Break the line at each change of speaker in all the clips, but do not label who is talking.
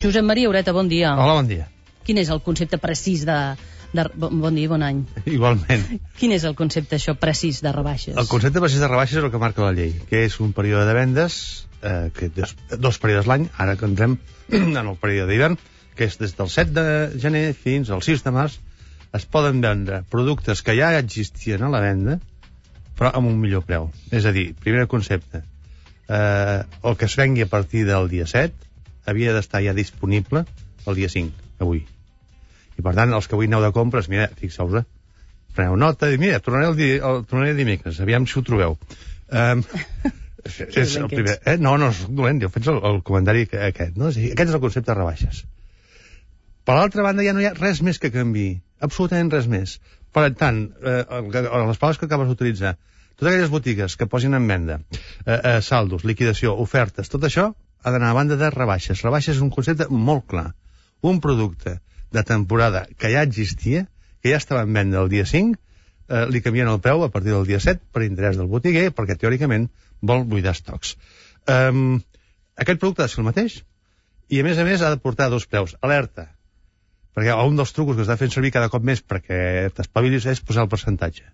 Josep Maria Ureta, bon dia.
Hola, bon dia.
Quin és el concepte precís de... Bon dia i bon any.
Igualment.
Quin és el concepte això precís de rebaixes?
El concepte precís de rebaixes és el que marca la llei, que és un període de vendes, que dos períodes l'any, ara que entrem en el període d'hivern, que és des del 7 de gener fins al 6 de març, es poden vendre productes que ja existien a la venda, però amb un millor preu. És a dir, primer concepte, el que es vengui a partir del dia 7 havia d'estar ja disponible el dia 5, avui. I per tant, els que avui aneu de compres, mira, fixeu-vos, preneu nota i mira, tornaré dimecres, aviam si ho trobeu. És el primer. No soc dolent, jo faig el comentari aquest, no? Aquest és el concepte de rebaixes. Per l'altra banda, ja no hi ha res més que canviï, absolutament res més. Per tant, les paraules que acabes d'utilitzar, totes aquelles botigues que posin en venda, saldos, liquidació, ofertes, tot això ha d'anar a banda de rebaixes. Rebaixes és un concepte molt clar. Un producte de temporada que ja existia, que ja estava en venda el dia 5, li canvien el preu a partir del dia 7 per interès del botiguer, perquè teòricament vol buidar estocs. Aquest producte ha de ser el mateix i a més ha de portar dos preus. Alerta, perquè un dels trucos que està fent servir cada cop més perquè t'espavilis és posar el percentatge.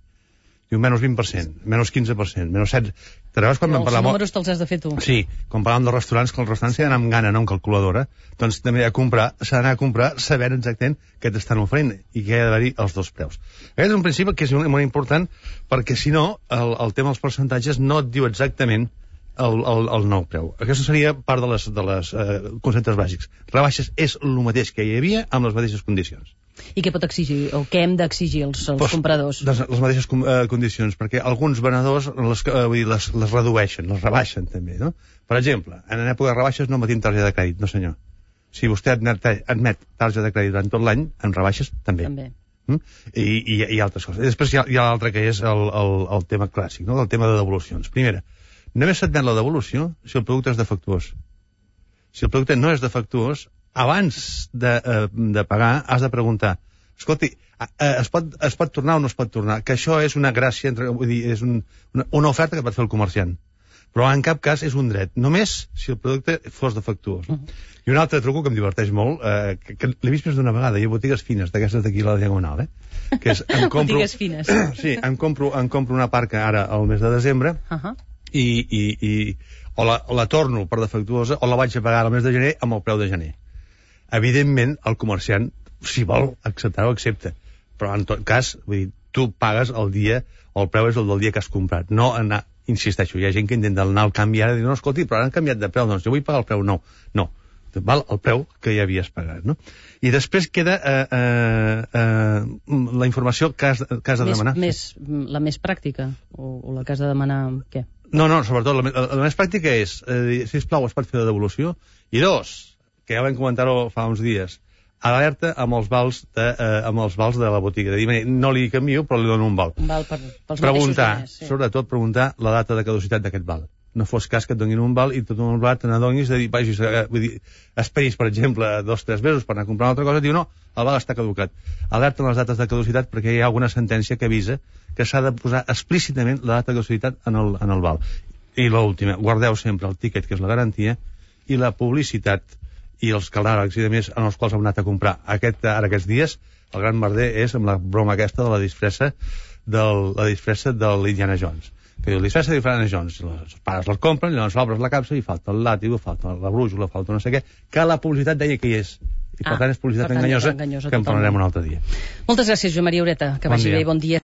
Diu menys 20%, menys 15%, menys 7%. Te'n recordes quan vam parlar...
Els números te'ls has de fer tu.
Sí, quan parlàvem dels restaurants, que els restaurants s'hi ha d'anar amb gana, no amb calculadora, doncs també s'ha d'anar a comprar sabent exactament què t'estan oferint i que hi ha d'haver-hi els dos preus. Aquest és un principi que és molt important perquè, si no, el tema dels percentatges no et diu exactament el nou preu. Aquesta seria part de les conceptes bàsics. Rebaixes és el mateix que hi havia amb les mateixes condicions.
I què pot exigir, o què hem d'exigir els compradors?
Les mateixes condicions, perquè alguns venedors les redueixen, les rebaixen també, no? Per exemple, en època de rebaixes no emetim targeta de crèdit, no senyor. Si vostè admet targeta de crèdit durant tot l'any, en rebaixes també. I altres coses. I després hi ha l'altre que és el tema clàssic, no? El tema de devolucions. Primera, només s'admet la devolució si el producte és defectuós. Si el producte no és defectuós, abans de pagar has de preguntar, escolti, es pot tornar o no es pot tornar? Que això és una gràcia, vull dir, és una oferta que pot fer el comerciant, però en cap cas és un dret, només si el producte fos defectuós. I un altre truco que em diverteix molt, que l'he vist més d'una vegada, hi ha botigues fines, d'aquestes d'aquí a la Diagonal, que és,
botigues fines.
Sí, em compro una parca ara al mes de desembre, i o la torno per defectuosa o la vaig a pagar al mes de gener amb el preu de gener. Evidentment, el comerciant, si vol acceptar-ho, accepta. Però, en tot cas, vull dir, tu pagues el dia, el preu és el del dia que has comprat. No anar, insisteixo, hi ha gent que intenta anar al canvi ara i dir, no, escolti, però han canviat de preu, doncs jo vull pagar el preu nou. No, val el preu que ja havies pagat, no? I després queda la informació que has de demanar.
La més pràctica? O la que has de demanar, què?
No, sobretot, la més pràctica és, sisplau, es pot fer la devolució? I dos, que ja vam comentar-ho fa uns dies, alerta amb els vals de la botiga. De dir, no li canvio, però li dono un val.
Un val pels mateixos diners.
Sobretot preguntar la data de caducitat d'aquest val. No fos cas que et donin un val i tot un val te n'adonis de dir, vull dir, esperis, per exemple, 2 o 3 mesos per anar a comprar una altra cosa, diu, no, el val està caducat. Alerta amb les dates de caducitat perquè hi ha alguna sentència que avisa que s'ha de posar explícitament la data de caducitat en el val. I l'última, guardeu sempre el tíquet, que és la garantia, i la publicitat i els catàlegs i demés en els quals hem anat a comprar. Ara aquests dies, el gran merder és amb la broma aquesta de la disfressa de l'Indiana Jones. Que diu, la disfressa d'Indiana Jones, els pares les compren, llavors obres la capsa i falta el làtigo, falta la brújula, falta no sé què, que la publicitat deia que hi és. I per tant és publicitat enganyosa que en parlarem un altre dia.
Moltes gràcies, Joan Maria Ureta, que vagi bé, bon dia.